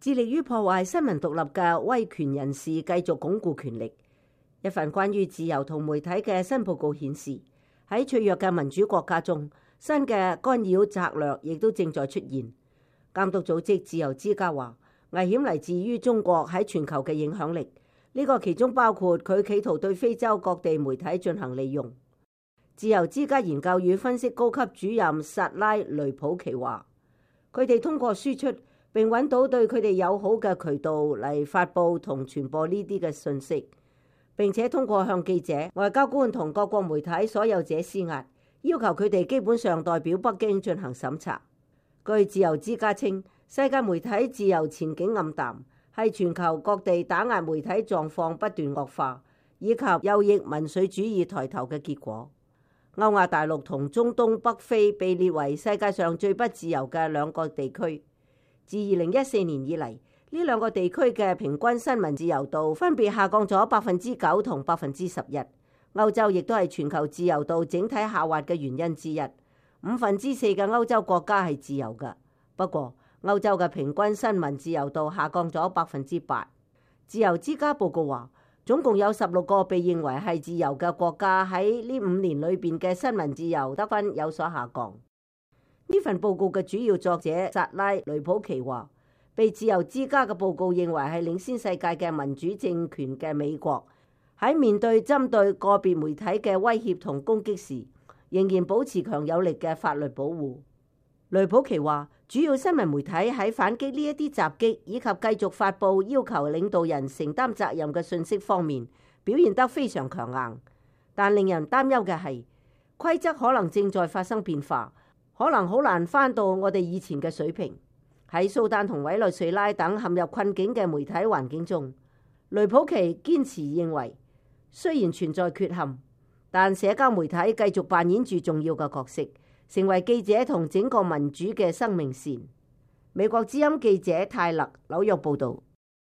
致力於破壞新聞獨立嘅威權人士繼續鞏固權力。一份關於自由同媒體嘅新報告顯示，喺脆弱嘅民主國家中，新嘅干擾策略亦都正在出現。監督組織自由之家話，危險嚟自於中國喺全球嘅影響力，呢個其中包括佢企圖對非洲各地媒體進行利用。自由之家研究與分析高級主任薩拉雷普奇話，佢哋通過輸出並揾到對佢哋友好嘅渠道嚟發佈同傳播呢啲嘅信息，並且通過向記者、外交官同各國媒體所有者施壓，要求佢哋基本上代表北京進行審查。據自由之家稱，世界媒體自由前景暗淡，係全球各地打壓媒體狀況不斷惡化，以及右翼民粹主義抬頭嘅結果。歐亞大陸同中東北非被列為世界上最不自由嘅兩個地區。自2014年以嚟，呢兩個地區嘅平均新聞自由度分別下降咗9%同11%。歐洲亦都係全球自由度整體下滑嘅原因之一。4/5嘅歐洲國家係自由嘅，不過歐洲嘅平均新聞自由度下降咗8%。自由之家報告話，總共有16個被認為係自由嘅國家喺呢5年裏邊嘅新聞自由得分有所下降。呢份報告嘅主要作者薩拉雷普奇話，被自由之家嘅報告認為係領先世界嘅民主政權嘅美國，喺面對針對個別媒體嘅威脅同攻擊時，仍然保持強有力嘅法律保護。雷普奇話，主要新聞媒體喺反擊呢一啲襲擊以及繼續發佈要求領導人承擔責任嘅信息方面表現得非常強硬，但令人擔憂嘅係規則可能正在發生變化，可能好難返到我哋以前嘅水平。喺蘇丹同委內瑞拉等陷入困境嘅媒體環境中，雷普奇堅持認為，雖然存在缺陷，但社交媒體繼續扮演住重要嘅角色，成為記者同整個民主嘅生命線。美國之音記者泰勒紐約報導。